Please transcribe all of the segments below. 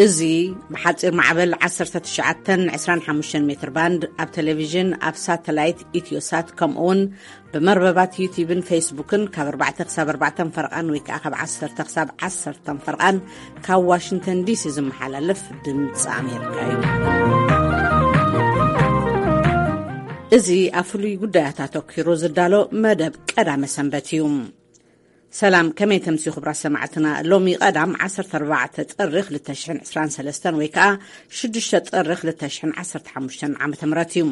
እዚ ብሓጺር ማዕበል ዓሰርተ ትሽዓተን ዕስራን ሓሙሽተን ሜትር ባንድ ኣብ ቴሌቪዥን፣ ኣብ ሳተላይት ኢትዮሳት፣ ከምኡ እውን ብመርበባት ዩቲዩብን ፌስቡክን ካብ ኣርባዕተ ክሳብ ኣርባዕተ ፈርቓን ወይ ከዓ ካብ ዓሰርተ ክሳብ ዓሰርተ ፈርቓን ካብ ዋሽንግተን ዲሲ ዝመሓላለፍ ድምፂ ኣሜሪካ እዩ። እዚ ኣብ ፍሉይ ጉዳያት ኣተኲሩ ዝዳሎ መደብ ቀዳመ ሰንበት እዩ። ሰላም፣ ከመይ ተምስዩ ክቡራት ሰማዕትና? ሎሚ ቀዳም ዓሰርተ ኣርባዕተ ጥሪ ክልተ ሽሕን ዕስራን ሰለስተን ወይ ከዓ ሽዱሽተ ጥሪ ክልተ ሽሕን ዓሰርተ ሓሙሽተን ዓመተ ምህረት እዩ።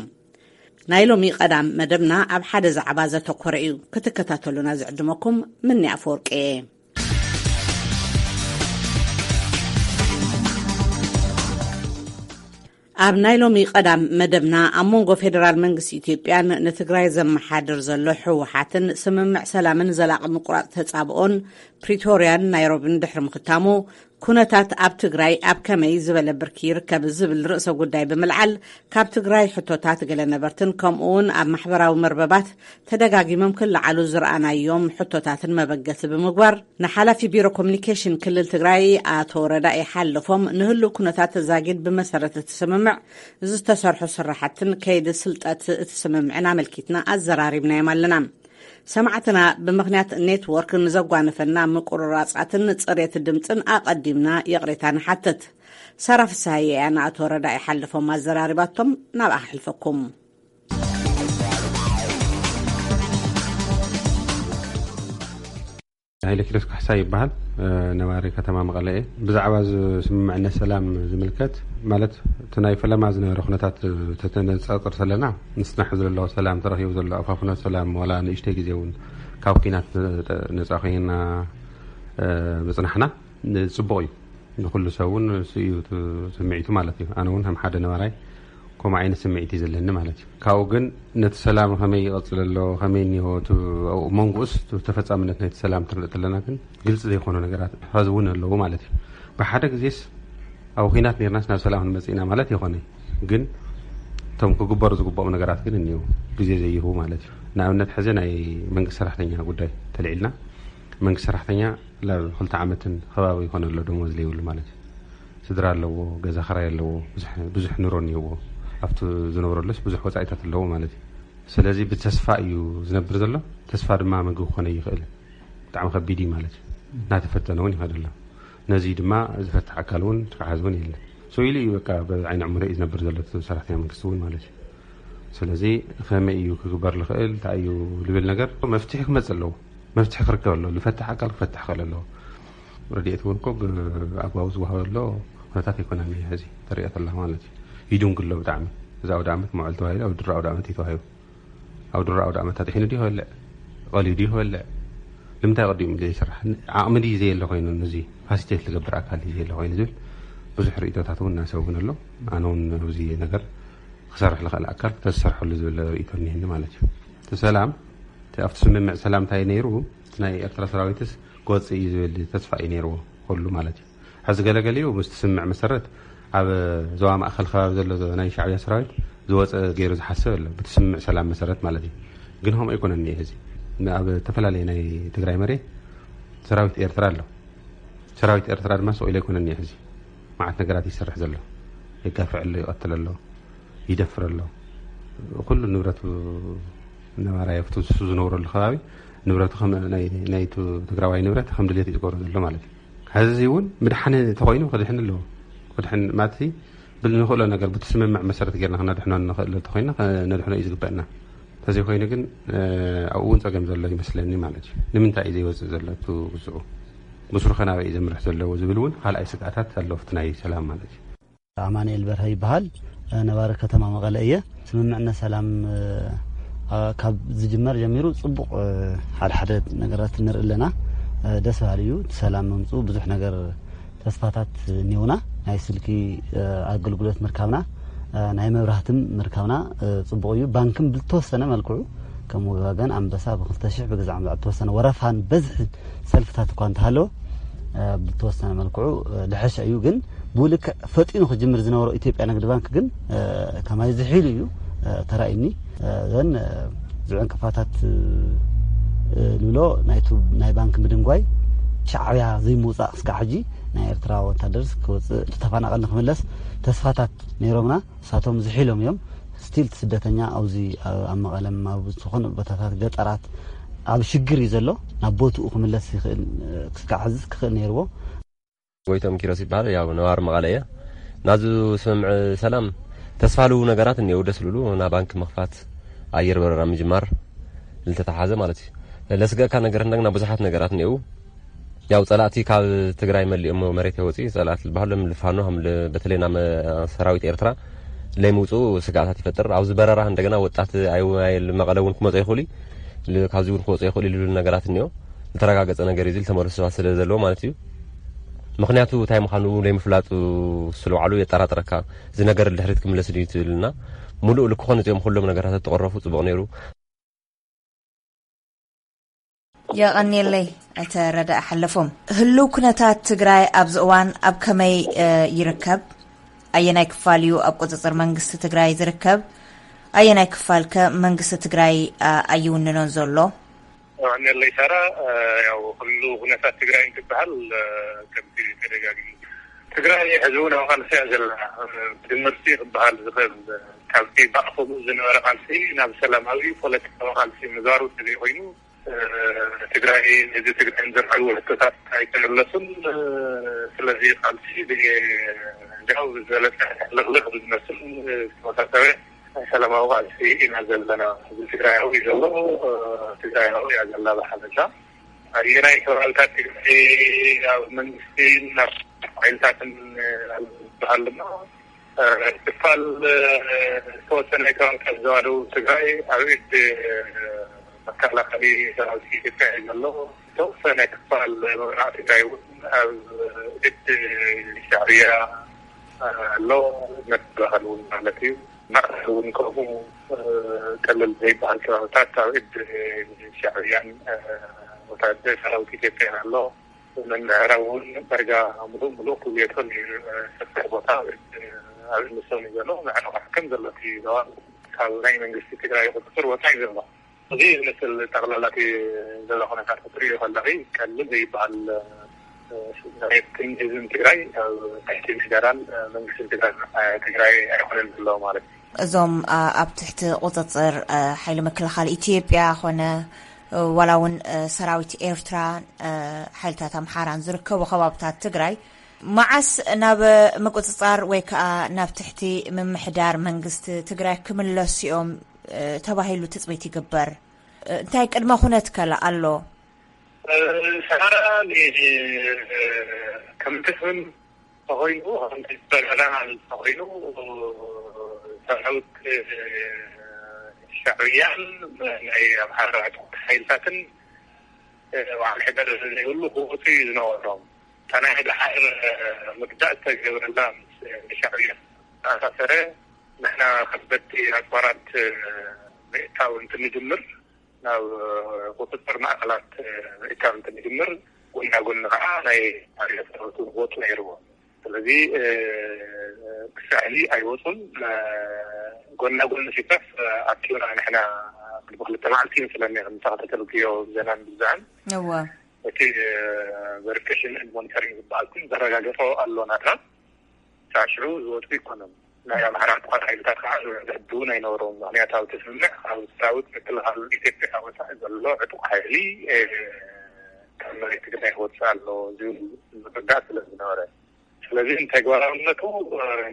ናይ ሎሚ ቀዳም መደብና ኣብ ሓደ ዛዕባ ዘተኮረ እዩ። ክትከታተሉና ዝዕድመኩም ምኒ ኣፈወርቂ እየ። ኣብ ናይ ሎሚ ቀዳም መደብና፣ ኣብ መንጎ ፌደራል መንግስቲ ኢትዮጵያን ንትግራይ ዘመሓድር ዘሎ ህወሓትን ስምምዕ ሰላምን ዘላቒ ምቁራፅ ተፃብኦን ፕሪቶርያን ናይሮብን ድሕሪ ምኽታሙ፣ ኩነታት ኣብ ትግራይ ኣብ ከመይ ዝበለ ብርኪ ይርከብ ዝብል ርእሰ ጉዳይ ብምልዓል፣ ካብ ትግራይ ሕቶታት ገለ ነበርትን ከምኡ እውን ኣብ ማሕበራዊ መርበባት ተደጋጊሞም ክለዓሉ ዝረኣናዮም ሕቶታትን መበገሲ ብምግባር፣ ንሓላፊ ቢሮ ኮሚኒኬሽን ክልል ትግራይ ኣቶ ረዳኢ ሓለፎም፣ ንህልው ኩነታት ዛጊድ ብመሰረት እቲ ስምምዕ ዝተሰርሑ ስራሕትን ከይዲ ስልጠት እቲ ስምምዕን ኣመልኪትና ኣዘራሪብናዮም ኣለና። ሰማዕትና፣ ብምኽንያት ኔትወርክ ንዘጓነፈና ምቁርራጻትን ጽሬት ድምጽን ኣቐዲምና ይቕሬታ ንሓትት። ሳራ ፍስሃየ እያ ንኣቶ ረዳኢ ሓለፎም ኣዘራሪባቶም፣ ናብኣ ክሕልፈኩም። ሃይለ ኪሮስ ካሕሳ ይበሃል። እ፣ ነባሪ ከተማ መቐለ እየ። ብዛዕባ እዚ ስምምዕነት ሰላም ዝምልከት፣ ማለት፣ እቲ ናይ ፈለማ ዝነበረ ኩነታት ተተነጻጽር ዘለና፣ ንጽናሕ ዘሎ ሰላም፣ ተረኺቡ ዘሎ ኣፋፍኖ ሰላም፣ ዋላ ንእሽተይ ግዜ እውን ካብ ኲናት ነጻ ኮይና፣ እ፣ ምጽናሕና፣ ን-፣ ጽቡቕ እዩ። ንኹሉ ሰብ እውን እሱ እዩ እቲ ስምዒቱ ማለት እዩ። ኣነ እውን ከም ሓደ ነባራይ ከምኡ ዓይነት ስምዒት እዩ ዘለኒ ማለት እዩ። ካብኡ ግን ነቲ ሰላም ከመይ ይቐጽል ኣሎ፣ ከመይ እኒሆ፣ እቲ ኣብኡ መንጎኡስ እቲ ተፈጻምነት ናይቲ ሰላም ትርኢ ኣለና፣ ግን ግልጺ ዘይኮኑ ነገራት ኸዚ እውን ኣለዉ ማለት እዩ። ብሓደ ግዜስ ኣብ ኲናት ኔርናስ ናብ ሰላም ክንመጽእ ኢና ማለት ይኾነ። ግን እቶም ክግበሩ ዝግብኦም ነገራት ግን እኒዉ፣ ግዜ ዘይህቡ ማለት እዩ። ንኣብነት ሕዚ ናይ መንግስቲ ሰራሕተኛ ጉዳይ ተልዒልና፣ መንግስቲ ሰራሕተኛ ላብ ክልተ ዓመትን ከባቢ ይኾነ ኣሎ ደሞዝ ዘይብሉ ማለት እዩ። ስድራ ኣለዎ፣ ገዛ ኽራይ ኣለዎ፣ ብዙሕ፣ ብዙሕ ኑሮ እኒህዎ። ኣብቲ ዝነብረሉስ ብዙሕ ወጻኢታት ኣለዎ ማለት እዩ። ስለዚ ብተስፋ እዩ ዝነብር ዘሎ። ተስፋ ድማ ምግቢ ክኾነ ይኽእል። ብጣዕሚ ከቢድ እዩ ማለት እዩ። እናተፈተነ እውን ይኸድ ኣሎ። ነዚ ድማ ዝፈትሕ ኣካል እውን ተሓዝ እውን የለን። ስቕ ኢሉ እዩ በቃ ብዓይኒ ዕሙር እዩ ዝነብር ዘሎ እቲ ሰራሕተኛ መንግስቲ እውን ማለት እዩ። ስለዚ ከመይ እዩ ክግበር ዝኽእል፣ እንታይ እዩ ዝብል ነገር መፍትሒ ክመጽእ ኣለዎ። መፍትሒ ክርከብ ኣለዎ። ዝፈትሕ ኣካል ክፈትሕ ክኽእል ኣለዎ። ረድኤት እውን እኮ ብኣግባቡ ዝወሃበ ዘሎ ኩነታት ኣይኮነን እዩ። ሕዚ ተሪኦ ተላ ማለት እዩ። ይድንጉ ኣሎ ብጣዕሚ። እዚ ኣውደ ዓመት መውዕል ተባሂሉ ኣብ ድሮ ኣውደ ዓመት እዩ ተዋሂቡ። ኣብ ድሮ ኣውደ ዓመት ኣጥሒኑ ድዩ ክበልዕ? ቀልዩ ድዩ ክበልዕ? ንምንታይ ቀዲሙ ዘይስራሕ? ዓቕሚ ድዩ ዘየለ ኮይኑ፣ ነዚ ፋሲሊቴት ዝገብር ኣካል ድዩ ዘየለ ኮይኑ ዝብል ብዙሕ ርእይቶታት እውን እናሰቡ እውን ኣሎ። ኣነ እውን ኣብዚ ነገር ክሰርሕ ዝኽእል ኣካል ክተዝሰርሐሉ ዝብል ርእይቶ እኒሀኒ ማለት እዩ። እቲ ሰላም፣ እቲ ኣብቲ ስምምዕ ሰላም እንታይ ነይሩ? እቲ ናይ ኤርትራ ሰራዊትስ ክወፅእ እዩ ዝብል ተስፋ እዩ ነይርዎ ኩሉ ማለት እዩ። ሕዚ ገለገሊኡ ምስቲ ስምምዕ መሰረት ኣብ ዞባ ማእኸል ከባቢ ዘሎ ናይ ሻዕብያ ሰራዊት ዝወፀ ገይሩ ዝሓስብ ኣሎ፣ ብቲ ስምምዕ ሰላም መሰረት ማለት እዩ። ግን ከምኡ ኣይኮነን እኒአ። እዚ ኣብ ዝተፈላለየ ናይ ትግራይ መሬት ሰራዊት ኤርትራ ኣሎ። ሰራዊት ኤርትራ ድማ ስቕ ኢሉ ኣይኮነን እኒአ። ሕዚ መዓት ነገራት ይሰርሕ ዘሎ፣ የጋፍዕ ኣሎ፣ ይቐትል ኣሎ፣ ይደፍር ኣሎ። ኩሉ ንብረቱ ነባራይ ኣብቲ ንሱ ዝነብረሉ ከባቢ ንብረቱ ከም ናይ፣ ናይ ቱ-፣ ትግራዋይ ንብረት ከም ድሌት እዩ ዝገብሮ ዘሎ ማለት እዩ። ሕዚ እውን ምድሓን ተኾይኑ ክድሕን ኣለዎ። ክድሕን ማለት ብል ንኽእሎ ነገር ብቲ ስምምዕ መሰረት ጌርና ክነድሕኖ ንኽእል እንተኾይና ክነድሕኖ እዩ ዝግበአና። እንተዘይኮይኑ ግን፣ እ፣ ኣብኡ እውን ጸገም ዘሎ ይመስለኒ ማለት እዩ። ንምንታይ እዩ ዘይወጽእ ዘሎ እቲ ውጽኡ? ብስሩ ከ ናበይ እዩ ዘምርሕ ዘለዎ ዝብል እውን ካልኣይ ስግኣታት ኣሎ ኣብቲ ናይ ሰላም ማለት እዩ። ኣማኑኤል በርሀ ይበሃል። ነባሪ ከተማ መቐለ እየ። ስምምዕነት ሰላም፣ እ፣ ካብ ዝጅመር ጀሚሩ ጽቡቕ፣ እ፣ ሓደ ሓደ ነገራት ንርኢ ኣለና። እ፣ ደስ በሃሊ እዩ። እቲ ሰላም ምምጽኡ ብዙሕ ነገር ተስፋታት እኒውና። ናይ ስልኪ፣ እ፣ ኣገልግሎት ምርካብና፣ እ፣ ናይ መብራህትም ምርካብና፣ እ፣ ጽቡቕ እዩ። ባንክም ብዝተወሰነ መልክዑ ከም ወጋገን ኣንበሳ ብክልተ ሽሕ ብግዛዕ ምዛዕ ዝተወሰነ ወረፋን በዝሒ ሰልፍታት እኳ እንተሃለወ፣ እ፣ ብዝተወሰነ መልክዑ፣ እ፣ ልሐሸ እዩ። ግን ብልክዕ ፈጢኑ ክጅምር ዝነበሮ ኢትዮጵያ ንግዲ ባንክ ግን፣ እ፣ ከማይ ዝሒሉ እዩ፣ እ፣ ተራእዩኒ። እ፣ ዘን፣ እ፣ እዚ ዕንቅፋታት፣ እ፣ ንብሎ ናይቱ ናይ ባንክ ምድንጓይ ሻዕብያ ዘይምውጻእ ክስካዕ ሕጂ ናይ ኤርትራ ወታደርስ ክወፅእ፣ ተፈናቐል ንክምለስ ተስፋታት ነይሮምና። ንሳቶም ዝሒሎም እዮም። ስቲል ስደተኛ ኣብዚ ኣብ መቐለም ኣብ ዝኾነ ቦታታት ገጠራት ኣብ ሽግር እዩ ዘሎ። ናብ ቦትኡ ክምለስ ይኽእል፣ ክስካዕ ሕዝስ ክኽእል ነይርዎ። ጎይቶም ኪሮስ ይበሃል። ያው ነባሪ መቐለ እየ። ናዙ ስምምዕ ሰላም ተስፋ ልቡ ነገራት እኒአው፣ ደስ ልብሉ፣ ና ባንክ ምኽፋት፣ ኣየር በረራ ምጅማር ልተተሓዘ ማለት እዩ። ለስገእካ ነገር እንደግና ብዙሓት ነገራት እኒአው። ያው ጸላእቲ ካብ ትግራይ መሊኦም መሬት የወፅኡ ጸላእቲ ዝበሃሉ ሎም ልፋኖ ከም ል-፣ በተለይ ና መ-፣ ሰራዊት ኤርትራ ለይምውፅኡ ስጋኣታት ይፈጥር። ኣብዚ በረራ እንደገና ወጣት ኣይ-፣ ኣይ-፣ መቐለ እውን ክመፁ ይኽእሉ እዩ። ል-፣ ካብዚ እውን ክወፁ ይኽእሉ ኢሉ ነገራት እኒኦ። ዝተረጋገፀ ነገር እዩ፣ እዚ ዝተመለሱ ሰባት ስለ ዘለዎ ማለት እዩ። ምኽንያቱ እንታይ ምዃኑ ለይምፍላጡ ስለ ባዕሉ የጠራጥረካ። እዚ ነገር ድሕሪት ክምለስ ድዩ ትብልና? ሙሉእ ልክኾን እዚኦም ኩሎም ነገራት ተቐረፉ ጽቡቕ ነይሩ። የቐንየለይ። ኣይተ ረዳእ ሓለፎም፣ ህልው ኩነታት ትግራይ ኣብዚ እዋን ኣብ ከመይ ይርከብ? ኣየናይ ክፋል እዩ ኣብ ቁፅፅር መንግስቲ ትግራይ ዝርከብ? ኣየናይ ክፋል ከ መንግስቲ ትግራይ ኣይውንኖን ዘሎ? የቐንየለይ ሳራ። ያው ህልው ኩነታት ትግራይ እንትበሃል ከምቲ ተደጋጊሙ ትግራይ ሕዚ እውን ኣብ ቃልሲ እያ ዘላ። ብድምርቲ ክበሃል ዝኽእል፣ ካብቲ ብኣፈሙዝ ዝነበረ ቃልሲ ናብ ሰላማዊ ፖለቲካዊ ቃልሲ ምዛሩ ተዘይኮይኑ፣ ትግራይ፣ ህዝቢ ትግራይ ንዘለዓሉ ሕቶታት ኣይተመለሱን። ስለዚ ቃልሲ እንዲያው ዝበለፀ ልቕልቕ ብዝመስል ዝተወሳሰበ ናይ ሰላማዊ ቃልሲ ኢና ዘለና። ህዝቢ ትግራይ ኣብኡ እዩ ዘሎ። ትግራይ ኣብኡ እያ ዘላ ብሓፈሻ። ኣየናይ ከባብታት ትግራይ ኣብ መንግስትን ኣብ ሓይልታትን ዝበሃል ድማ ክፋል ዝተወሰነ ከባብታት ዘዋደው ትግራይ ኣብ ኢድ መከላኸሊ ሰራዊት ኢትዮጵያ እዩ ዘሎ። ዝተወሰነ ክፋል ምብራቕ ትግራይ እውን ኣብ ኢድ ሻዕብያ ኣሎ። መከላኸሊ እውን ማለት እዩ። ማእኸል እውን ከምኡ ቀለል ዘይበሃል ከባብታት ኣብ ኢድ ሻዕብያን ወታደር ሰራዊት ኢትዮጵያን ኣሎ። መምሕራዊ እውን ዳርጋ ምሉእ ምሉእ ክብልየቶ ሰፊሕ ቦታ ኣብ ንሶም እዩ ዘሎ። ምዕራብ ከም ዘሎ እቲ ዞባ ካብ ናይ መንግስቲ ትግራይ ቁፅፅር ወፃኢ ዘሎ። እዚ ዝመስል ጠቕላላ እቲ ዘሎ ኩነታት ክትሪኦ ከለኺ ቀሊል ዘይበሃል መሬትን ህዝብን ትግራይ ኣብ ትሕቲ ምሕደራን መንግስትን ትግራይ ትግራይ ኣይኮነን ዘሎ ማለት እዩ። እዞም ኣብ ትሕቲ ቁፅፅር ሓይሊ መከላኸሊ ኢትዮጵያ ኮነ ዋላ እውን ሰራዊት ኤርትራ ሓይልታት ኣምሓራን ዝርከቡ ከባብታት ትግራይ መዓስ ናብ ምቁፅፃር ወይ ከዓ ናብ ትሕቲ ምምሕዳር መንግስቲ ትግራይ ክምለሱ እዮም ተባሂሉ ትፅቢት ይግበር? እንታይ ቅድመ ኩነት ከ ኣሎ? ሰሃራ ከምትፍን ተኮይኑ ከምትበረራ ተኮይኑ ሰራዊት ሻዕብያን ናይ ኣምሓራ ዕጡቅ ሓይልታትን በዓል ሕደር ዘይብሉ ክወፁ እዩ ዝነበሮም። እታ ናይ ድሓር ምግዳእ ዝተገብረላ ምስ ሻዕብያ ዝተኣሳሰረ ንሕና ከበድቲ ኣፅዋራት ምእታው እንትንጅምር ናብ ቁፅፅር ማእኸላት ምእካብ እንትንጅምር ጎና ጎኒ ከዓ ናይ ኣርያ ሰራዊት እውን ክወፁ ነይርዎ። ስለዚ ክሳዕ ሕዚ ኣይወፁን። ጎና ጎኒ ሲፓፍ ኣኪብና ንሕና ቅድሚ ክልተ መዓልቲ ይመስለኒ ከም ተኸታተልክዮ ብዜናን ብዛዕን እወ እቲ verification and monitoring ዝበሃል ግን ዘረጋገፆ ኣሎ ናትና። ሳሽዑ ዝወፁ ይኮነን። ናይ ኣምሓራ ጥፋት ሓይልታት ከዓ ዝሕድ እውን ኣይነበሮም። ምክንያቱ ኣብቲ ስምምዕ ካብ ሰራዊት ምክልኻል ኢትዮጵያ ወፃኢ ዘሎ ዕጡቅ ሓይሊ ካብ መሬት ትግራይ ክወፅእ ኣሎ ዝብል ምርዳእ ስለ ዝነበረ፣ ስለዚ ንተግባራውነቱ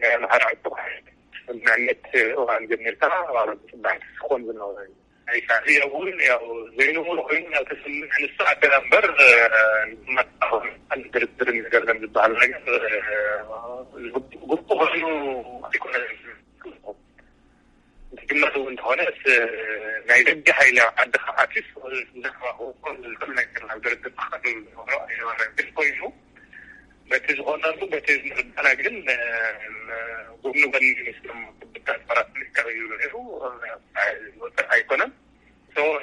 ናይ ኣምሓራ ዕጡቅ ሓይሊ ስምምዕነት እዋን ጀሚርካ ማለት ፅባሕ ክኾን ዝነበረ እዩ። ናይ ሻዕብያ እውን ያው ዘይንቡር ኮይኑ ናብ ተስምዕ ንሱ ኣደና እምበር ንመጣ ድርድር ገርዘም ዝበሃል ነገር ግቡእ ኮይኑ ኣይኮነን። ትግመት እውን እንተኾነ ናይ ደገ ሓይሊ ኣብ ዓዲ ከኣትስ ዝሉ ነገር ናብ ድርድር ክቐርብ ዝነበሮ ኣይነበረን። ግን ኮይኑ በቲ ዝኾነሉ በቲ ዝምርዳና ግን ጎኒ ጎኒ ምስቶም ክብታት ፓራት ምልካዊ ይብሉ ነይሩ። ዝወፅእ ኣይኮነን።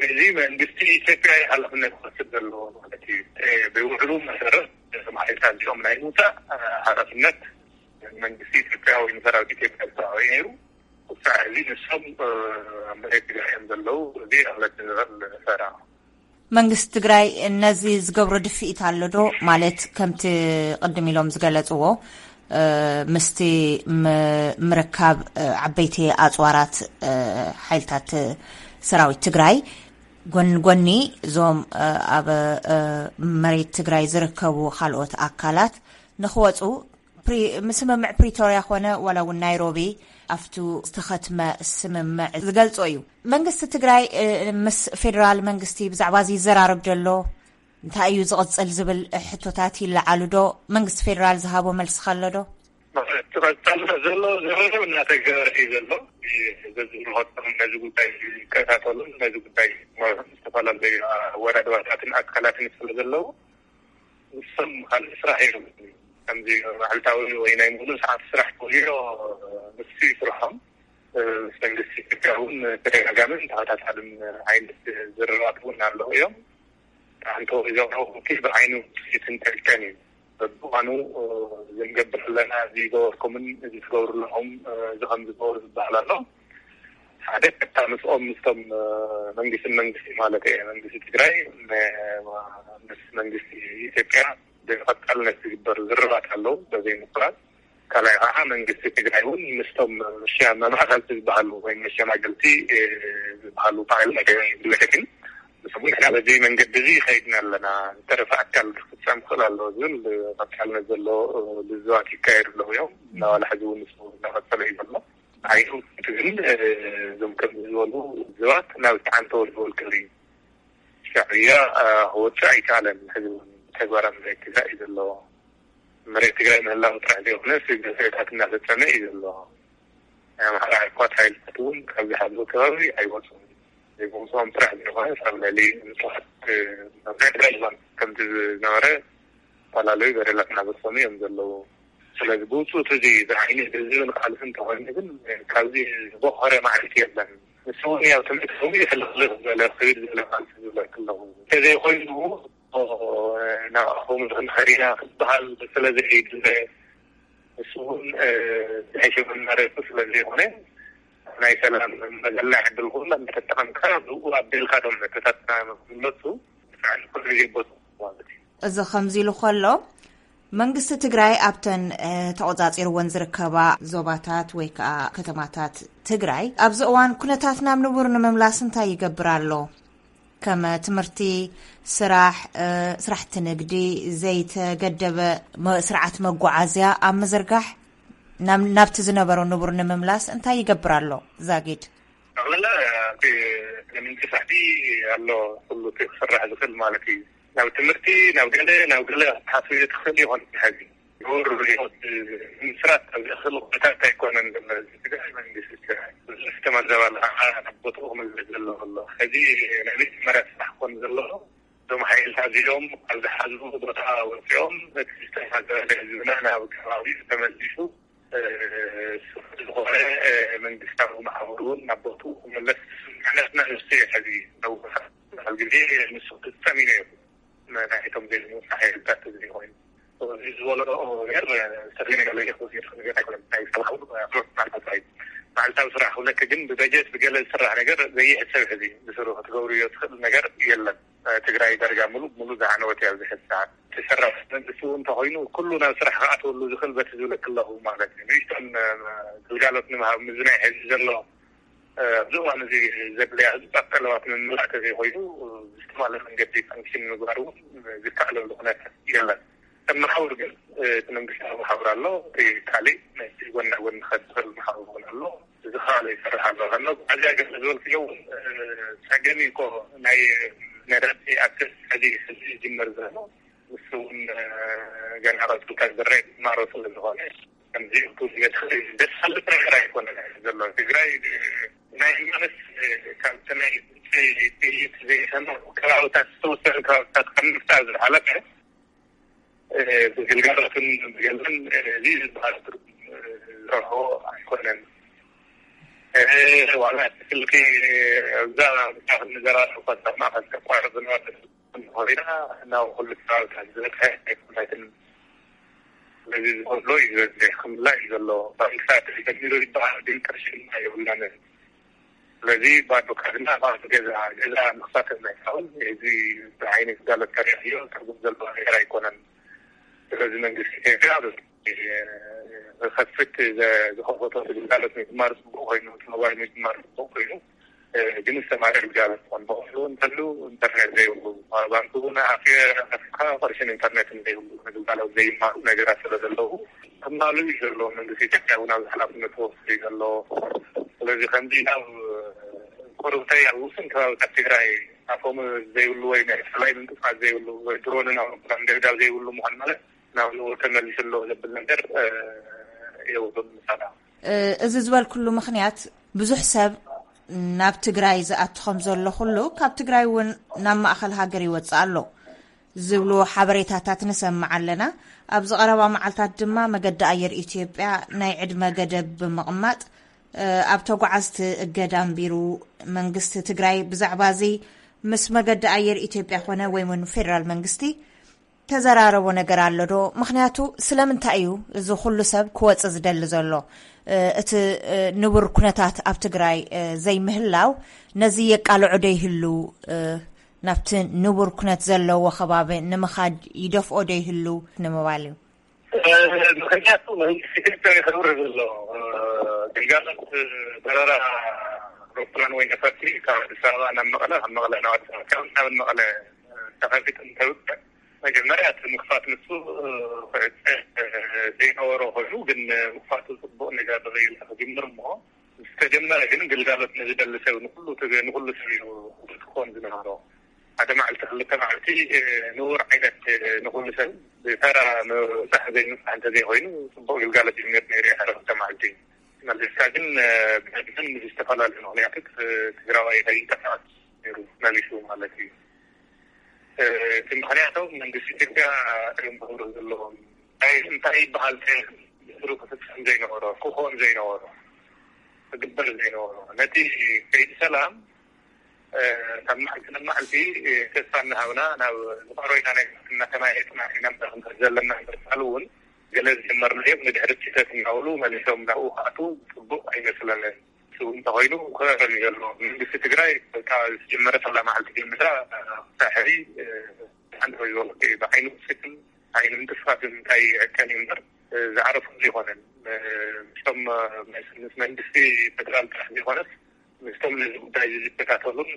እዚ መንግስቲ ኢትዮጵያ ሓላፍነት ክወስድ ዘለዎ ማለት እዩ። ብውዕሉ መሰረት ማሕሌታት እዚኦም ናይ ምውፃእ ሓላፍነት መንግስቲ ኢትዮጵያ ወይ ንሰራዊት ኢትዮጵያ ዝተባበዩ ነይሩ። ክሳዕ እዚ ንሶም ኣብ መሬት ትግራይ እዮም ዘለዉ። እዚ ኣምለት ንበል ሰራ መንግስቲ ትግራይ ነዚ ዝገብሮ ድፍኢት ኣሎ ዶ? ማለት ከምቲ ቅድም ኢሎም ዝገለጽዎ፣ እ፣ ምስቲ ም-፣ ምርካብ፣ እ፣ ዓበይቲ ኣጽዋራት፣ እ፣ ሓይልታት ሰራዊት ትግራይ ጎን ጎኒ እዞም፣ እ፣ ኣብ፣ እ፣ መሬት ትግራይ ዝርከቡ ካልኦት ኣካላት ንኽወጹ ፕሪ-፣ ምስምምዕ ፕሪቶርያ ኮነ ዋላ እውን ናይሮቢ ኣብቱ ዝተኸትመ ስምምዕ ዝገልጾ እዩ። መንግስቲ ትግራይ፣ እ፣ ምስ ፌዴራል መንግስቲ ብዛዕባ እዚ ይዘራረብ ዘሎ? እንታይ እዩ ዝቕጽል ዝብል ሕቶታት ይለዓሉ ዶ? መንግስቲ ፌዴራል ዝሃቦ መልሲ ከሎ ዶ? ዝቐጸል ዘሎ ዝርርብ እናተገበረ እዩ ዘሎ። በዚ ንኸቶም ነዚ ጉዳይ ይከታተሉን ነዚ ጉዳይ ዝተፈላለዩ ኣወዳድባታትን ኣካላትን ስለ ዘለዉ ንሶም ካልእ ስራሕ እዮም። ከምዚ መዓልታዊ ወይ ናይ ሙሉእ ሰዓት ስራሕ ክውዮ ንሱ እዩ ስርሖም። እ፣ ምስ መንግስቲ ኢትዮጵያ እውን ተደጋጋምን ተኸታታልን ዓይነት ዝርርባት እውን ኣለዉ እዮም። ኣንተ እዞም ብዓይኑ ውፅኢት እንተልቀን እዩ። በብእዋኑ፣ እ፣ እዚ ንገብር ኣለና፣ እዚ ይገበርኩምን እዚ ትገብሩ ኣለኹም፣ እ፣ እዚ ከም ዝገበሩ ዝበሃል ኣሎ። ሓደ ቀጥታ ምስኦም ምስቶም፣ እ፣ መንግስትን መንግስቲ ማለት እየ፣ መንግስቲ ትግራይ፣ ም-፣ ምስ መንግስቲ ኢትዮጵያ ብቐጻልነት ዝግበር ዝርርባት ኣለዉ፣ በዘይ ምቁራጽ። ካልኣይ ከዓ መንግስቲ ትግራይ እውን ምስቶም መሻ-፣ መማእኸልቲ ዝበሃሉ ወይ መሸማገልቲ፣ እ፣ ዝበሃሉ በዓል መደብ ይግለጸ ግን ንሶም ንሕና በዚ መንገዲ እዚ ይኸይድና ኣለና፣ ዝተረፈ ኣካል ክፍጸም ክኽእል ኣለዎ ዝብል ቀጻልነት ዘለዎ ልዝባት ይካየዱ ኣለዉ እዮም። እናዋላ ሕዚ እውን ንሱ እናቐጸለ እዩ ዘሎ። ዓይኑ ግን፣ እ፣ እዞም ከምዚ ዝበሉ ልዝባት ናብ ዝተዓንተወሉ ወልቅል እዩ። ሻዕብያ፣ እ፣ ክወፅእ ኣይከኣለን። ሕዚ እውን ተግባራዊ መሬት ትግራይ እዩ ዘለዎ። መሬት ትግራይ ምህላው ጥራሕ ዘይኮነ፣ ስግደት እናፈጸመ እዩ ዘሎ። ናይ ኣምሓራ ዕኳት ሓይልታት እውን ካብ ዝሓዝዎ ከባቢ ኣይወፁን። ዘይምውፅኦም ጥራሕ ዘይኮነ፣ ኣብ ልዕሊ ንፁሃት፣ እ፣ ኣብ ናይ ትግራይ ዝባን ከምቲ ዝነበረ ዝተፈላለዩ በደላት እናፈፀሙ እዮም ዘለዉ። ስለዚ ብውፅኡት እዚ ዝዓይኒ ህዝብን ካልእ እንተኾይኑ ግን፣ ካብዚ ዝበኾረ ማዕሪት የለን። ንሱ እውን ያው ትምህርቲ እውን ይሕልኽልኽ ዝበለ ክብል ዝበለ ቃልሲ ዝብለክ ኣለኹ። እንተዘይኮይኑ፣ ናብኣኹም ክንኸድ ኢና ክበሃል ስለ ዘይድለ፣ ንሱ እውን፣ እ፣ ናይ ሽግር መሬቱ ስለ ዘይኮነ፣ ናይ ሰላም መዘና ዕድል ኩሉ እናተጠቐምካ ብኡ ኣቢልካ ቶም ሕቶታትና ንክምለሱ ብጣዕሚ ኩሉ ግዜ ቦት ማለት እዩ። እዚ ከምዚ ኢሉ ከሎ፣ መንግስቲ ትግራይ ኣብተን፣ እ፣ ተቖጻጺርወን ዝርከባ ዞባታት ወይ ከኣ ከተማታት ትግራይ ኣብዚ እዋን ኩነታት ናብ ንቡር ንምምላስ እንታይ ይገብር ኣሎ? ከም ትምህርቲ፣ ስራሕ፣ እ፣ ስራሕቲ ንግዲ፣ ዘይተገደበ መ-፣ ስርዓት መጓዓዝያ ኣብ ምዝርጋሕ ናብ-፣ ናብቲ ዝነበሮ ንቡር ንምምላስ እንታይ ይገብር ኣሎ ዛጊድ? ጠቕላላ እቲ ናይ መንግስቲ ስራሕቲ ኣሎ፣ ኩሉ እቲ ክስራሕ ዝኽእል ማለት እዩ። ናብ ትምህርቲ፣ ናብ ገለ፣ ናብ ገለ ክትሓስብ ትኽእል ይኾን ሕዚ። ንቡር ህይወት ንምስራት ኣብ ዘኽእል ኩነታት ኣይኮነን ዘሎ ህዝቢ ትግራይ፣ መንግስቲ ትግራይ። ብዙሕ ዝተመዘባለ ከዓ ናብ ቦትኡ ክምለስ ዘለዎ ኣሎ። ሕዚ ናይ መጀመርያ ስራሕ ክኾን ዘለዎ፣ እዞም ሓይልታት እዚኦም ካብ ዝሓዝዎ ቦታ ወፂኦም፣ እቲ ዝተመዘበለ ህዝብና ናብ ከባቢኡ ተመሊሱ፣ እ፣ ስሩዕ ዝኾነ፣ እ፣ መንግስታዊ መሓውር እውን ናብ ቦትኡ ክምለስ ስምምዕነትና ንሱ እዩ። ሕዚ ነዊሕ፣ ብዙሕ ግዜ ንሱ ክፍፀም እዩ ነይሩ። ናይቶም ዘይምውፃእ ሓይልታት ትግራይ ኮይኑ፣ እዚ ዝበሎ ነገር ዝተለየ ነገር ለይኮ ነገር ኣይኮነን። ናይ ሰብኣዊ ኣፍሮት ማለት እዩ። መዓልታዊ ስራሕ ክብለክ ግን ብበጀት ብገለ ዝስራሕ ነገር ዘይሕሰብ ሕዚ ብስሩ ክትገብርዮ ትኽእል ነገር የለን። ትግራይ ዳርጋ ሙሉእ ሙሉእ ዝዓነወት እያ ኣብዚ ሕዚ ሰዓት። እቲ ሰራሕተኛ ንሱ እንተኾይኑ ኩሉ ናብ ስራሕ ክኣትወሉ ዝኽእል በቲ ዝብለክ ኣለኹ ማለት እዩ። ንእሽቶን ግልጋሎት ንምሃብ ምስዚ ናይ ሕዚ ዘሎ ኣብዚ እዋን እዚ ዘድልያ ህፁፃት ጠለባት ንምምላእ ተዘይኮይኑ ብዝተማለ መንገዲ ፋንክሽን ንምግባር እውን ዝከኣለሉ ኩነታት የለን። ከም መሓውር ግን እቲ መንግስታዊ መሓውር ኣሎ፣ እቲ ካሊእ ናይ ጎና ጎኒ ክኸድ ዝኽእል መሓውር እውን ኣሎ። እዚ ከዓ ይሰርሕ ኣሎ። ካብ መጓዓዝያ ገለ ዝበልክዮ እውን ፀገም እዩ እኮ ናይ ነዳዲ ኣክሰስ ሕዚ ሕዚ ይጅመር ዘሎ ንሱ እውን ገና ቀፅልካ ዝረአ ጅማሮ ስለ ዝኾነ ከምዚ ክብል ዝገድፍ ደስ ዝብል ነገር ኣይኮነን ዘሎ። ትግራይ ናይ ማለት ካብቲ ናይ ጥይት ዘይሰምዕ ከባብታት ዝተወሰኑ ከባብታት ካብ ምፍጣር ዝሓለፈ ብግልጋሎትን ብገንዘብን እዚ ዝበሃል ትርጉም ዝረኽቦ ኣይኮነን። ዋላ እቲ ስልኪ ኣብዛ ብታ ክንዘራረብ እኳ ካብ ማእኸል ተቋርፅ ዝነበረ ኮይና ናብ ኩሉ ከባብታት ዝበፅሐ ኣይኮነትን። ስለዚ ዝጎድሎ እዩ ዝበዝሕ ክምላእ እዩ ዘሎ። ባንክታት ተጀሚሩ ይበሃል ግን ቅርሺ ድማ የብልናን። ስለዚ ባዶ ካዝና፣ ባዶ ገዛ፣ ገዛ ምኽፋት ኣይከኣልን። እዚ ብዓይኒ ግልጋሎት ተረኣዮ ትርጉም ዘለዎ ነገር ኣይኮነን። ስለዚ መንግስቲ ኢትዮጵያ ዝኸፍት፣ ዝኸፈቶ ግልጋሎት ምጅማር ጽቡቕ ኮይኑ፣ እቲ ሞባይል ምጅማር ጽቡቕ ኮይኑ፣ ግን ዝተማርእ ግልጋሎት ክኾን ብቐሉ እንተሉ፣ ኢንተርኔት ዘይብሉ፣ ባንክ እውን ኣፍ ኣፍካ ቅርሽን ኢንተርኔትን ዘይብሉ፣ ንግልጋሎት ዘይማሉ ነገራት ስለ ዘለዉ፣ ክማሉ እዩ ዘለዎ። መንግስቲ ኢትዮጵያ እውን ኣብዚ ሓላፍነት ክወስድ እዩ ዘለዎ። ስለዚ ከምዚ ናብ ቁርብተይ ኣብ ውስን ከባብታት ትግራይ ኣፎም ዘይብሉ ወይ ናይ ፍላይ ምንቅስቃስ ዘይብሉ ወይ ድሮንን ኣውሮፕላን ደብዳብ ዘይብሉ ምዃን ማለት ናብ ንቡር ተመሊሱ ኣሎ ዘብል ነገር የብሉን። ምሳና እዚ ዝበልኩሉ ምኽንያት፣ ብዙሕ ሰብ ናብ ትግራይ ዝኣቱ ከም ዘሎ ኩሉ፣ ካብ ትግራይ እውን ናብ ማእኸል ሃገር ይወፅእ ኣሎ ዝብሉ ሓበሬታታት ንሰምዕ ኣለና። ኣብዚ ቀረባ መዓልታት ድማ መገዲ ኣየር ኢትዮጵያ ናይ ዕድመ ገደብ ብምቕማጥ፣ ኣብ ተጓዓዝቲ እገዳ ኣንቢሩ። መንግስቲ ትግራይ ብዛዕባ እዚ ምስ መገዲ ኣየር ኢትዮጵያ ኮነ ወይ እውን ፌደራል መንግስቲ ተዘራረቦ ነገር ኣሎ ዶ? ምኽንያቱ ስለምንታይ እዩ እዚ ኩሉ ሰብ ክወጽእ ዝደሊ ዘሎ? እቲ ንቡር ኩነታት ኣብ ትግራይ ዘይምህላው ነዚ የቃልዖ ዶ ይህሉ? ናብቲ ንቡር ኩነት ዘለዎ ከባቢ ንምኻድ ይደፍኦ ዶ ይህሉ ንምባል እዩ። ምኽንያቱ መንግስቲ ኢትዮጵያ ይኸብር ዘሎ ግልጋሎት በረራ ኣውሮፕላን ወይ ነፈርቲ ካብ ኣዲስ ኣበባ ናብ መቐለ፣ ካብ መቐለ ናብ ኣዲስ ኣበባ፣ ካብ ናብ መቐለ ተኸፊቱ እንተብቅዕ፣ መጀመርያ እቲ ምኽፋት ንሱ ክዕፀ ዘይነበሮ ኮይኑ፣ ግን ምኽፋቱ ፅቡቕ ነገር ርኢና ክጅምር እሞ፣ ዝተጀመረ ግን ግልጋሎት ንዝደሊ ሰብ ንኩሉ ትግ-፣ ንኩሉ ሰብ እዩ ክኸውን ዝነበሮ። ሓደ መዓልቲ ክልተ መዓልቲ ንቡር ዓይነት ንኩሉ ሰብ ብተራ ምብፃሕ ዘይምብፃሕ እንተዘይኮይኑ፣ ፅቡቕ ግልጋሎት እዩ ነይሩ፣ ነይሩ ሓደ ክልተ መዓልቲ። መለስካ ግን ብዕድመን ብዝተፈላለዩ ምኽንያታት ትግራዋይ ከይንቀሳቐስ ነይሩ መሊሱ ማለት እዩ። እቲ ምኽንያቶም መንግስቲ ኢትዮጵያ እዮም ክብሩ ዘለዎም። እንታይ፣ እንታይ ይበሃል? ብስሩ ክፍፀም ዘይነበሮ፣ ክኾን ዘይነበሮ፣ ክግበር ዘይነበሮ፣ ነቲ ከይዲ ሰላም ካብ መዓልቲ ናብ መዓልቲ ተስፋ እናሃብና ናብ ዝቐረበና ነገር እናተማየጥና ኢና እምበር ክንከድ ዘለና እምበር፣ ቃል እውን ገለ ዝጀመርናዮም ንድሕሪ ስህተት እናበሉ መሊሶም ናብኡ ክኣትዉ ጽቡቕ ኣይመስለንን። እሱ እንተኾይኑ ክእረም እዩ ዘለዎ። መንግስቲ ትግራይ በቃ ዝጀመረ ሰላ መዓልቲ ጀሚራ ሳሕሪ ሓንቲ ወይ ዝበሉ ብዓይኑ ስክን ዓይኒ ምንቅስቃስ እንታይ ይዕቀን እዩ እምበር ዝዓረፉ ዘይኮነን። ምስቶም ምስ መንግስቲ ፌደራል ጥራሕ ዘይኮነስ ምስቶም ነዚ ጉዳይ እዚ ዝከታተሉን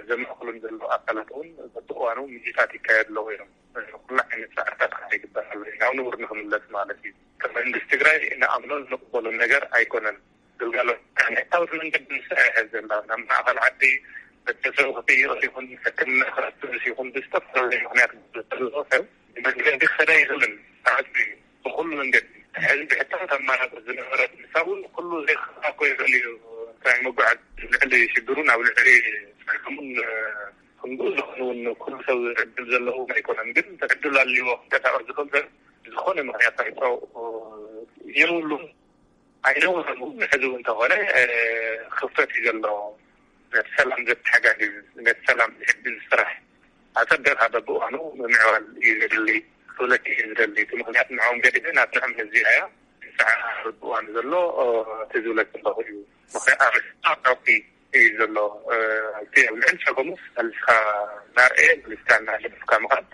ዘማእክሉን ዘለዉ ኣካላት እውን በብእዋኑ ምይይጣት ይካየድ ኣለዉ እዮም። ኩሉ ዓይነት ፃዕርታት ከዓ ይግበር ኣሎ እዩ። ናብ ንቡር ንክምለስ ማለት እዩ። ከም መንግስቲ ትግራይ ንኣምኖን ንቅበሎን ነገር ኣይኮነን። ግልጋሎት ብሕታውቲ መንገዲ ንሳ ይሕዝ ዘላ ናብ ማእኸል ዓዲ ቤተሰብ ክጥይቕ ይኹን ሕክምና ክረክብስ ይኹን ብዝተፈላለዩ ምክንያት ዘሎ ሰብ ብመንገዲ ክኸዳ ይኽእልን ተዓፅዩ እዩ። ብኩሉ መንገዲ ሕዚ ብሕታውቲ ኣማራፂ ዝነበረት ንሳ እውን ኩሉ ዘይክኸዳ እኮ ይኽእል እዩ። እንታይ ምጉዓዝ ልዕሊ ሽግሩን ኣብ ልዕሊ ፀገሙን ክንድኡ ዝኾኑ እውን ኩሉ ሰብ ዕድል ዘለዎ ኣይኮነን። ግን ዕድል ኣልዎ ክንቀሳቀስ ዝኽእል ሰብ ዝኾነ ምክንያት ኣይፀው የብሉን። ኣይነውረሉ ንሕዚ እውን እንተኾነ ክፍተት እዩ ዘሎ። ነቲ ሰላም ዘተሓጋግዝ፣ ነቲ ሰላም ዝሕግዝ ስራሕ ኣጸቢቕካ በብእዋኑ ምምዕባል እዩ ዘድሊ ክብለኪ እዩ ዝደሊ። እቲ ምኽንያት ንዕኦም ገዲፈ ናትዕም ህዝቢ እያ። ንስዓ በብእዋኑ ዘሎ እቲ ዝብለኪ ኣለኹ እዩ። ምኽንያት ኣብ ርሕቂ እዩ ዘሎ። እቲ ኣብ ልዕሊ ጸገሙስ መሊስካ እናርኣየ መሊስካ እናገደፍካ ምኻድ፣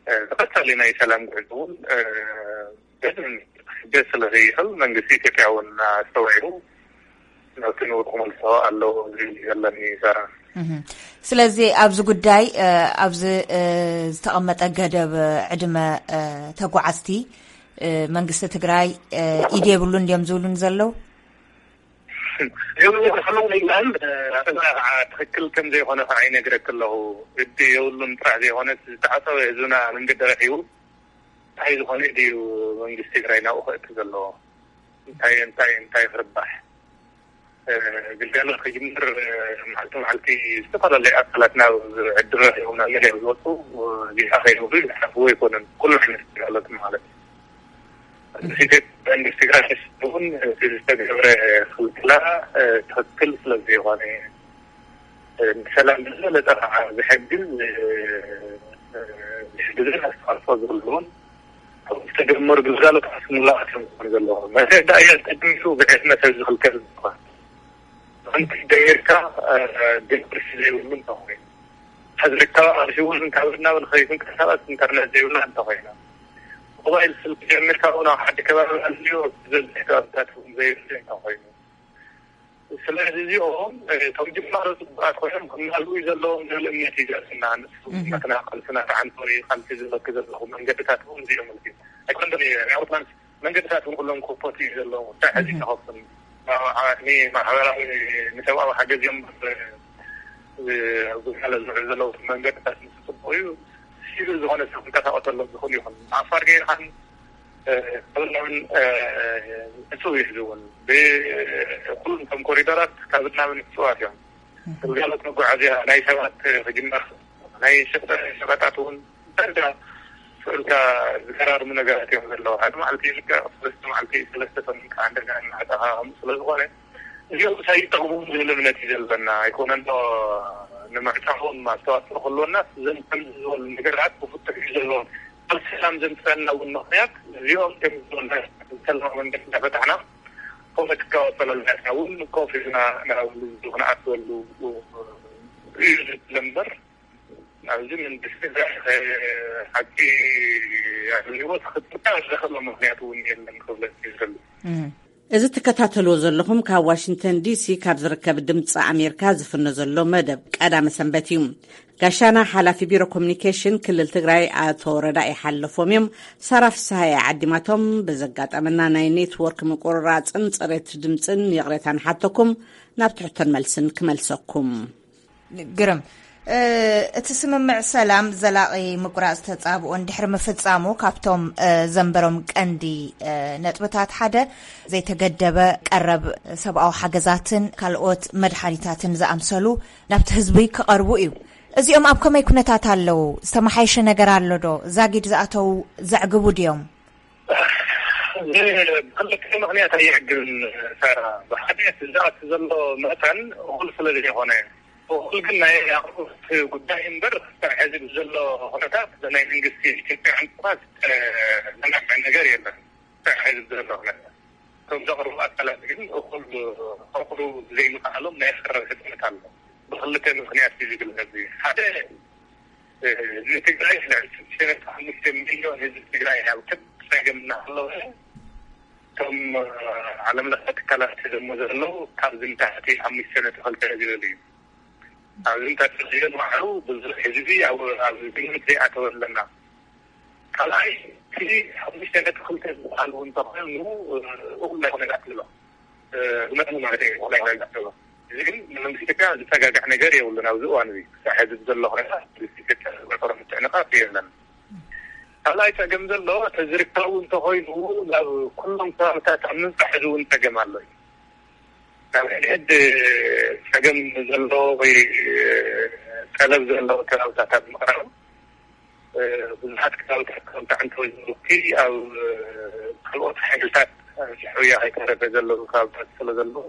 እ፣ ዝቐጸለ ናይ ሰላም ጉዕዞ እውን፣ እ፣ በደንብ ክሕገዝ ስለ ዘይኽእል መንግስቲ ኢትዮጵያ እውን ኣስተውዒሉ ናብቲ ንቡር ክመልሶ ኣለዎ ዝብል እዩ ዘለኒ ዘረባ። እህ። ስለዚ ኣብዚ ጉዳይ፣ እ፣ ኣብዚ፣ እ፣ ዝተቐመጠ ገደብ ዕድመ፣ እ፣ ተጓዓዝቲ፣ እ፣ መንግስቲ ትግራይ፣ እ፣ ኢድ የብሉን ድዮም ዝብሉን ዘለዉ? የብሉ ክሕልው ይግባእን፣ ኣተና ከዓ ትኽክል ከም ዘይኮነ ከዓ ይነግረክ ኣለኹ። ግዲ የብሉን ጥራሕ ዘይኮነ ዝተዓፀወ ህዝብና መንገዲ ረኪቡ እንታይ ዝኾነ ድዩ መንግስቲ ትግራይ ናብኡ ክእቱ ዘለዎ? እንታይ፣ እንታይ፣ እንታይ ክርባሕ? እ፣ ግልጋሎት ክጅምር፣ እ፣ መዓልቲ መዓልቲ ዝተፈላለዩ ኣካላት ናብ ዕድል ረኪቦም ናብ ሚድያ ዝወፁ፣ እ፣ ጌታ ከይብሉ ይሓስቡ ኣይኮኑን። ኩሉ ዓይነት ግልጋሎት ማለት እዩ። መንግስቲ ትግራይ እውን እቲ ዝተገብረ ክልከላ፣ እ፣ ትኽክል ስለ ዘይኮነ፣ እ፣ ንሰላም ብዝበለፀ ከዓ ዝሕግዝ፣ እ፣ እ፣ ዝሕግዝን ኣስተዋፅኦ ዘለዎን ኣብ ዝተጀመሩ ግልጋሎት ኣስሙላኣት እዮም ክኾኑ ዘለዎም። መተዳእያ ቅድሚቱ ብዕድመ ሰብ ዝኽልከል ዝኾነ ሓንቲ ደሚርካ ዲሞክራሲ ዘይብሉ እንተኾይኑ፣ ሕዝርካ ኣርሲ እውን እንታብና ንኸይትንቀሳቐስ ኢንተርነት ዘይብላ እንተኾይና፣ ሞባይል ስልክ ጀሚርካ እውን ኣብ ሓዲ ከባቢ ኣልዮ ዝበዝሕ ከባብታት እውን ዘይብሉ እንተኾይኑ፣ ስለዚ እዚኦም እቶም ጅማሮ ፅቡቃት ኮይኖም ክናልኡ ዘለዎም ዝብል እምነት ይገፅና። ንስና ቃልስና ተዓንቶ እዩ። ቃልሲ ዝበክ ዘለኹ መንገድታት እውን እዚኦም እዩ ኣይኮንዶም። ናይ ኣውሮፕላን መንገድታት እውን ኩሎም ኮፖት እዩ ዘለዎም። እንታይ ሕዚ ተኸፍቱን ማሕበራዊ ንሰብኣዊ ሓገዝ እዮም። ኣብ ግልጋሎት ዝውዕሉ ዘለዉ መንገድታት ምስ ፅቡቅ እዩ። ሲቪል ዝኾነ ሰብ ክንቀሳቀሰሎም ዝኽእል ይኹን። ዓፋር ገይርካን ካብናብን ንፁ ይሕዝውን ብኩሉም ከም ኮሪደራት ካብናብን ንፅዋት እዮም። ግልጋሎት መጓዓዝያ ናይ ሰባት ክጅመር፣ ናይ ሸቀጣት እውን ደረጃ ስእልካ ዝገራርሙ ነገራት እዮም ዘለዉ። ሓደ መዓልቲ ልክዕ ሰለስተ መዓልቲ ሰለስተ ሰሙን ከዓ እንደገና እናዕፀኻ ከምኡ ስለ ዝኾነ እዚኦም ሳይጠቕሙ ዝብል እምነት እዩ ዘለና። ኣይኮነን ዶ ንምዕፃዎም ኣስተዋፅኦ ክህልወና ዘን ከምዚ ዝበሉ ነገራት ክፍትሑ እዩ ዘለዎም። ኣብ ሰላም ዘምፅአና እውን ምኽንያት እዚኦም ከም ዝበሉ ሰላማዊ መንገዲ እንዳፈታሕና ፖለቲካዊ ኣፈላላያትና እውን ኮፍ ኢልና ናብሉ ክንኣትወሉ እዩ ዝብል እምበር ኣብዚ መንግስቲ ሓቂ ኣድልዎ ክጥቃ ዘኽእሎ ምኽንያት እውን የለን ክብለክ ይዝረሉ። እዚ ትከታተልዎ ዘለኹም ካብ ዋሽንግተን ዲሲ ካብ ዝርከብ ድምፂ ኣሜሪካ ዝፍኖ ዘሎ መደብ ቀዳመ ሰንበት እዩ። ጋሻና ሓላፊ ቢሮ ኮሚኒኬሽን ክልል ትግራይ ኣቶ ረዳኢ ሓለፎም እዮም። ሳራ ፍስሃየ ዓዲማቶም። ብዘጋጠመና ናይ ኔትወርክ ምቁርራፅን ፅሬት ድምፅን ይቕሬታ ንሓተኩም። ናብ ትሕቶን መልስን ክመልሰኩም። ግርም፣ እቲ ስምምዕ ሰላም ዘላቒ ምቁራፅ ተፃብኦ እንድሕር ምፍፃሙ ካብቶም ዘንበሮም ቀንዲ ነጥብታት ሓደ ዘይተገደበ ቀረብ ሰብኣዊ ሓገዛትን ካልኦት መድሓኒታትን ዝኣምሰሉ ናብቲ ህዝቢ ክቐርቡ እዩ። እዚኦም ኣብ ከመይ ኩነታት ኣለዉ? ዝተመሓየሸ ነገር ኣሎ ዶ? ዛጊድ ዝኣተዉ ዘዕግቡ ድዮም? ብክልተ ምክንያት ኣይዕግብን ሳራ። ብሓድነት ዝኣቱ ዘሎ መጠን እኹል ስለ ዘይኮነ፣ እኹል ግን ናይ ኣቕርቦት ጉዳይ እምበር ሕዚ ብዘሎ ኩነታት ናይ መንግስቲ ኢትዮጵያ ዕንቅፋት ዘናግዕ ነገር የለን። ሕዚ ብዘሎ ኩነታት እቶም ዘቕርቡ ኣካላት ግን እኹል ከቕርቡ ዘይምኽኣሎም ናይ ኣሰራር ሕፅነት ኣሎ። ብክልተ ምክንያት እዩ ዝግለጽ። ሓደ ንትግራይ ልዕሊ ሽዱሽተ ነጥቢ ሓሙሽተ ሚልዮን ህዝቢ ትግራይ ኣብ ከቢድ ጸገም እናሃለወ እቶም ዓለም ለኸ ትካላት ሒዞሞ ዘለዉ ካብዚ ንታሕቲ ሓሙሽተ ነጥቢ ክልተ ዝብል እዩ። ኣብዚ ንታሕቲ ዝብል ባዕሉ ብዙሕ ህዝቢ ኣብ ግምት ዘይኣተወ ኣለና። ካልኣይ እቲ ሓሙሽተ ነጥቢ ክልተ ዝበሃል እውን ተኾይኑ እኹል ኣይኮነን ኣትልሎ ብመጠኑ ማለት እዩ። እኹል ኣይኮነን ኣትልሎ። እዚ ግን ንመንግስቲ ኢትዮጵያ ዝፀጋጋዕ ነገር የብሉን። ኣብዚ እዋን እዚ ክሳብ ሕዚ ዘሎ ኩነታት መንግስቲ ኢትዮጵያ ዝፈጠሮ ምትዕንቃፍ የለን። ካልኣይ ፀገም ዘሎ ተዝርካቡ እንተኮይኑ ናብ ኩሎም ከባብታት ኣብ ምብፃሕ እዚ እውን ፀገም ኣሎ እዩ። ናብ ሕድሕድ ፀገም ዘሎ ወይ ጠለብ ዘሎ ከባብታት ኣብ ምቕራብ ብዙሓት ከባብታት ከም ተዓንተወይ ዝብሉኪ ኣብ ካልኦት ሓይልታት ሕውያ ከይተረፈ ዘለዉ ከባብታት ስለ ዘለዉ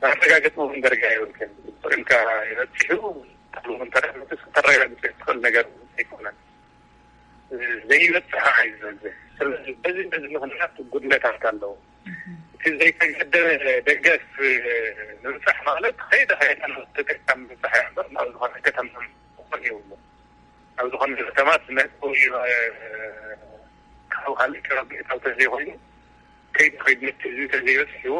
መረጋገፂ እውን ደረጃ የብልክን። ኢልካ ይበፅሑ ተረጋግፂ ትኽእል ነገር ኣይኮነን። ዘይበፅሕ እዩ ዝበዝሕ። ስለዚ በዚ በዚ ምክንያት ጉድለታት ኣለዉ። እቲ ዘይተገደበ ደገፍ ምብፃሕ ማለት ከይደ ከይደ ናብ ተጠቃሚ ምብፃሕ እያ እምበር ናብ ዝኾነ ከተማ ክኾን የብሉ። ኣብ ዝኾነ ከተማ ስመት ወይ ካብ ካልእ ከባቢ እታው ተዘይኮይኑ ከይዱ ከይዱ ነቲ ህዝቢ ተዘይበፅሕዎ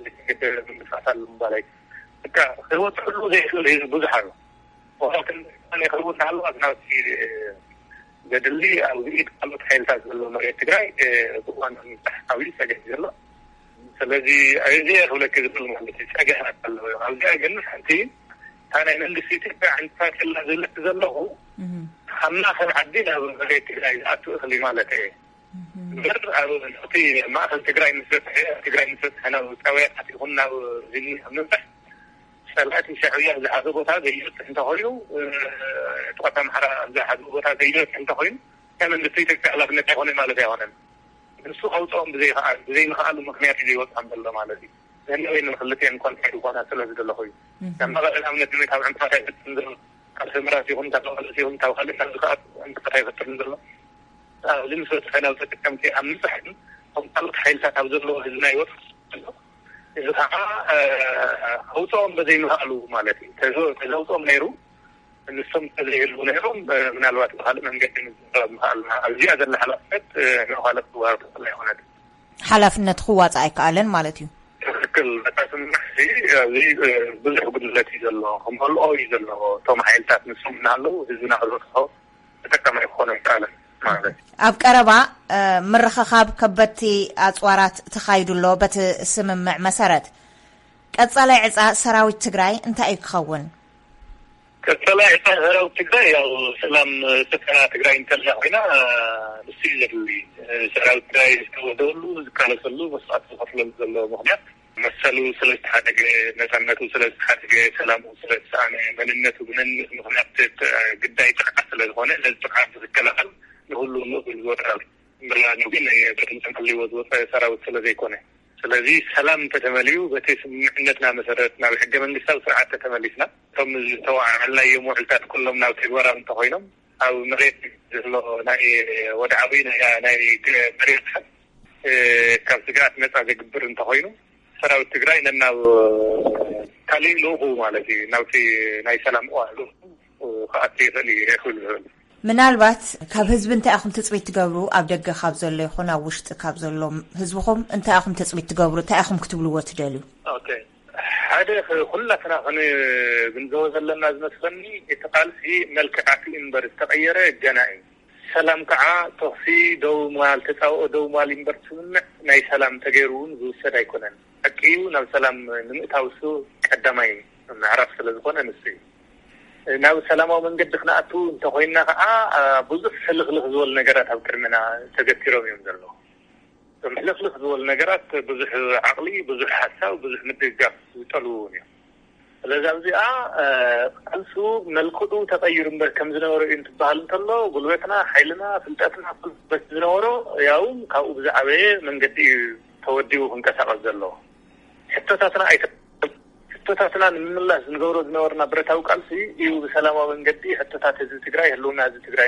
ዘይተገደበ ምንቅስቃስ ኣሎ ምባል ኣይኮነን። በቃ ክበፅሕሉ ዘይክእል ህዝቢ ብዙሕ ኣሎ። ዋላ ክንዲ ክኸውን እናሃለዋ ናብቲ ገድሊ ኣብ ኢድ ካልኦት ሓይልታት ዘሎ መሬት ትግራይ ብእዋን ምብፃሕ ዓብዩ ፀገም ዘሎ። ስለዚ እዚ ክብለኪ ዝኽእል ማለት እዩ ፀገማት ኣለዎ። ኣብዚኣ ግን ሓንቲ እታ ናይ መንግስቲ ኢትዮጵያ ዕንቅፋት የላ ዝብለኪ ዘለኹ ካብ ማእኸል ዓዲ ናብ መሬት ትግራይ ዝኣቱ እኽሊ ማለት እየ። እምበር ኣብ እቲ ማእኸል ትግራይ ምስ በፅሐ ትግራይ ምስ በፅሐ ናብ ፀበያታት ይኹን ናብ ዝኒ ኣብ ምብፃሕ ፀላእቲ ሻዕብያ ዝሓዘ ቦታ ዘይበፅሕ እንተኾይኑ፣ ጥቓት ኣምሓራ ዝሓዘ ቦታ ዘይበፅሕ እንተኾይኑ ናይ መንግስቲ ኢትዮጵያ ሓላፍነት ኣይኮነን ማለት ኣይኮነን። ንሱ ከውፅኦም ብዘይከኣል ብዘይምኽኣሉ ምክንያት እዩ ዘይወፅኦም ዘሎ ማለት እዩ። ነኒወይ ንክልቲአን ኮንትራክት ዝኾና ስለ ዝደለኹ እዩ። ካብ መቐለ ንኣብነት ንመይ ካብ ዕንቅፋት ኣይፈጥርን ዘሎ ካብ ሰምራት ይኹን ካብ መቐለስ ይኹን ካብ ካልእ ናብ ዝከኣት ዕንቅፋት ኣይፈጥርን ዘሎ ኣብዚ ምስ በፅሐ ናብ ተጠቀምቲ ኣብ ምብፃሕ ግን ከም ካልኦት ሓይልታት ኣብ ዘለዎ ህዝብና ይወፅእ ዘሎ እዚ ከዓ ከውፅኦም በዘይምኽኣሉ ማለት እዩ። ተዘውፅኦም ነይሩ፣ ንሶም ተዘይህልዉ ነይሮም ምናልባት ብካልእ መንገዲ ምዝራብ ምኽኣልና። ኣብዚኣ ዘላ ሓላፍነት ንካልእ ክዋር ትኽእል ኣይኮነት። ሓላፍነት ክዋፃእ ኣይከኣለን ማለት እዩ። ትክክል። በታ ስምምዕ እዚ ኣብዚ ብዙሕ ጉድለት እዩ ዘሎ፣ ክመልኦ እዩ ዘለዎ። እቶም ሓይልታት ንሶም እናሃለዉ ህዝብና ክበፅሖ ተጠቀማይ ክኾነ ኣይከኣለን ማለት እዩ። ኣብ ቀረባ ምርኽኻብ ከበድቲ ኣፅዋራት ተኻይዱ ኣሎ። በቲ ስምምዕ መሰረት ቀፃላይ ዕፃ ሰራዊት ትግራይ እንታይ እዩ ክኸውን? ቀፃላይ ዕፃ ሰራዊት ትግራይ ያው ሰላም ስፍራ ትግራይ እንተላ ኮይና ንሱ እዩ ዘድሊ። ሰራዊት ትግራይ ዝተወደበሉ ዝቃለሰሉ መስዋዕቲ ዝኸፍለሉ ዘሎ ምክንያት መሰሉ ስለ ዝተሓደገ፣ ነፃነቱ ስለ ዝተሓደገ፣ ሰላሙ ስለ ዝተሰኣነ፣ መንነቱ ብመንነት ምክንያት ግዳይ ጥቕዓት ስለ ዝኾነ ነዚ ጥቕዓት ዝከላኸል ንሁሉ ምእብል ዝወጣ እምበላ ግን በቲ ምፅን ክልዎ ዝወፀ ሰራዊት ስለ ዘይኮነ። ስለዚ ሰላም እንተተመልዩ በቲ ስምምዕነትና መሰረት ናብ ሕገ መንግስታዊ ስርዓት ተተመሊስና እቶም ዝተዋዓልናዮም ውዕልታት ኩሎም ናብ ተግባራዊ እንተኮይኖም ኣብ መሬት ዘሎ ናይ ወድዓዊ ናይ ናይ መሬት ካብ ስግኣት ነፃ ዘግብር እንተኮይኑ ሰራዊት ትግራይ ነናብ ካሊእ ልኡኹ ማለት እዩ ናብቲ ናይ ሰላም እዋን ልኡኹ ክኣቱ ይኽእል እዩ ክብል ዝኽእል። ምናልባት ካብ ህዝቢ እንታይ ኢኹም ትፅቢት ትገብሩ? ኣብ ደገ ካብ ዘሎ ይኹን ኣብ ውሽጢ ካብ ዘሎ ህዝብኹም እንታይ ኢኹም ትፅቢት ትገብሩ? እንታይ ኢኹም ክትብልዎ ትደልዩ? ኦኬ፣ ሓደ ኩላትና ክንግንዘቦ ዘለና ዝመስለኒ እቲ ቃልሲ መልክዕ ኣትዩ እምበር ዝተቐየረ ገና እዩ። ሰላም ከዓ ተኽሲ ደው ምባል፣ ተፃብኦ ደው ምባል እምበር ስምምዕ ናይ ሰላም ተገይሩ እውን ዝውሰድ ኣይኮነን። ሓቂ እዩ፣ ናብ ሰላም ንምእታው እሱ ቀዳማይ ምዕራፍ ስለ ዝኾነ ንሱ እዩ። ናብ ሰላማዊ መንገዲ ክንኣቱ እንተኮይንና ከዓ ብዙሕ ሕልኽልኽ ዝበሉ ነገራት ኣብ ቅድሚና ተገቲሮም እዮም ዘለዉ። እቶም ሕልኽልኽ ዝበሉ ነገራት ብዙሕ ዓቕሊ፣ ብዙሕ ሓሳብ፣ ብዙሕ ምድግጋፍ ዝጠልቡ እውን እዮም። ስለዚ ኣብዚኣ ቃልሱ መልክዑ ተቐይሩ እምበር ከም ዝነበረ እዩ እንትበሃል እንተሎ ጉልበትና፣ ሓይልና፣ ፍልጠትና በቲ ዝነበሮ ያው ካብኡ ብዝዓበየ መንገዲ እዩ ተወዲቡ ክንቀሳቐስ ዘለዎ። ሕቶታትና ኣይተ ሕቶታትና ንምምላስ ንገብሮ ዝነበርና ብረታዊ ቃልሲ እዩ ብሰላማዊ መንገዲ ሕቶታት ህዝቢ ትግራይ፣ ህልውና ህዝቢ ትግራይ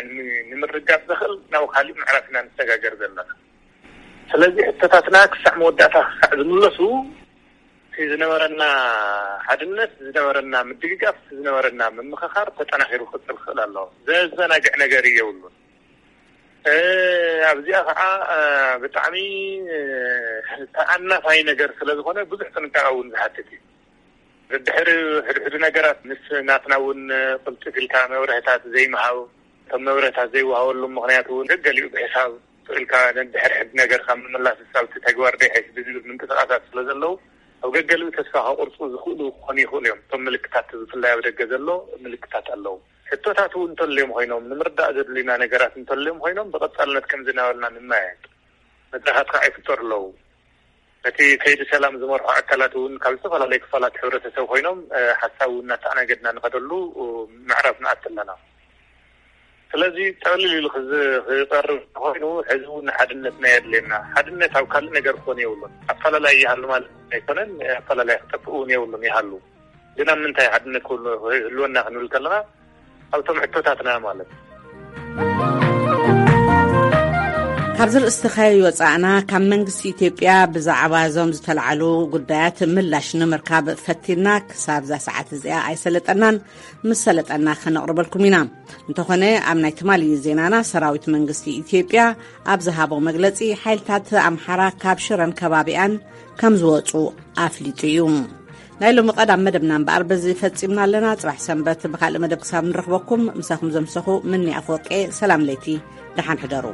ንምርጋፅ ዘኽእል ናብ ካሊእ ምዕራፍ ኢና ንሰጋገር ዘለና። ስለዚ ሕቶታትና ክሳዕ መወዳእታ ክሳዕ ዝምለሱ እቲ ዝነበረና ሓድነት፣ ዝነበረና ምድግጋፍ፣ ዝነበረና ምምኽኻር ተጠናኺሩ ክቕፅል ክኽእል ኣለዎ። ዘዘናግዕ ነገር የብሉን። ኣብዚኣ ከዓ ብጣዕሚ ተኣናፋይ ነገር ስለ ዝኾነ ብዙሕ ጥንቃቐ እውን ዝሓትት እዩ። ድሕሪ ሕድሕዱ ነገራት ምስ ናትና እውን ቅልጥፍ ኢልካ መብርህታት ዘይምሃብ፣ እቶም መብርህታት ዘይወሃበሉ ምክንያት እውን ገገሊኡ ብሕሳብ ኢልካ ንድሕሪ ሕድ ነገር ካብ ምምላስ ሳብቲ ተግባር ደይሐሽ ብዝብል ምንቅስቃሳት ስለ ዘለዉ ኣብ ገገሊኡ ተስፋ ከቁርፁ ዝኽእሉ ክኾኑ ይኽእሉ እዮም። እቶም ምልክታት ብፍላይ ኣብ ደገ ዘሎ ምልክታት ኣለዉ። ሕቶታት እውን እንተልዮም ኮይኖም ንምርዳእ ዘድልዩና ነገራት እንተልዮም ኮይኖም ብቐፃልነት ከም ዝናበልና ንመያየጥ መድረኻት ከዓ ይፍጠሩ ኣለዉ። ነቲ ከይዲ ሰላም ዝመርሑ ኣካላት እውን ካብ ዝተፈላለዩ ክፋላት ሕብረተሰብ ኮይኖም ሓሳብ እውን እናተኣናገድና ንኸደሉ ምዕራፍ ንኣት ኣለና። ስለዚ ጠቕልል ኢሉ ክዝ- ክቐርብ ኮይኑ ሕዚ እውን ሓድነትና የድልየና። ሓድነት ኣብ ካልእ ነገር ክኾን የብሉን። ኣፈላላይ ይሃሉ ማለት ኣይኮነን፣ ኣፈላላይ ክጠፍእ እውን የብሉን። ይሃሉ ግን ኣብ ምንታይ ሓድነት ክህሉ- ክህልወና ክንብል ከለና ኣብቶም ሕቶታትና ማለት ካብዚ ርእስቲ ከይወፃእና ካብ መንግስቲ ኢትዮጵያ ብዛዕባ እዞም ዝተለዓሉ ጉዳያት ምላሽ ንምርካብ ፈቲና ክሳብ እዛ ሰዓት እዚኣ ኣይሰለጠናን። ምስ ሰለጠና ከነቕርበልኩም ኢና። እንተኾነ ኣብ ናይ ትማሊ ዜናና ሰራዊት መንግስቲ ኢትዮጵያ ኣብ ዝሃቦ መግለፂ ሓይልታት ኣምሓራ ካብ ሽረን ከባቢኣን ከም ዝወፁ ኣፍሊጡ እዩ። ናይ ሎሚ ቀዳም መደብና እምበኣር በዚ ፈፂምና ኣለና። ፅባሕ ሰንበት ብካልእ መደብ ክሳብ ንረኽበኩም ምሳኹም ዘምሰኹ ምኒ ኣፈወርቄ ሰላም ለይቲ ደሓን ሕደሩ።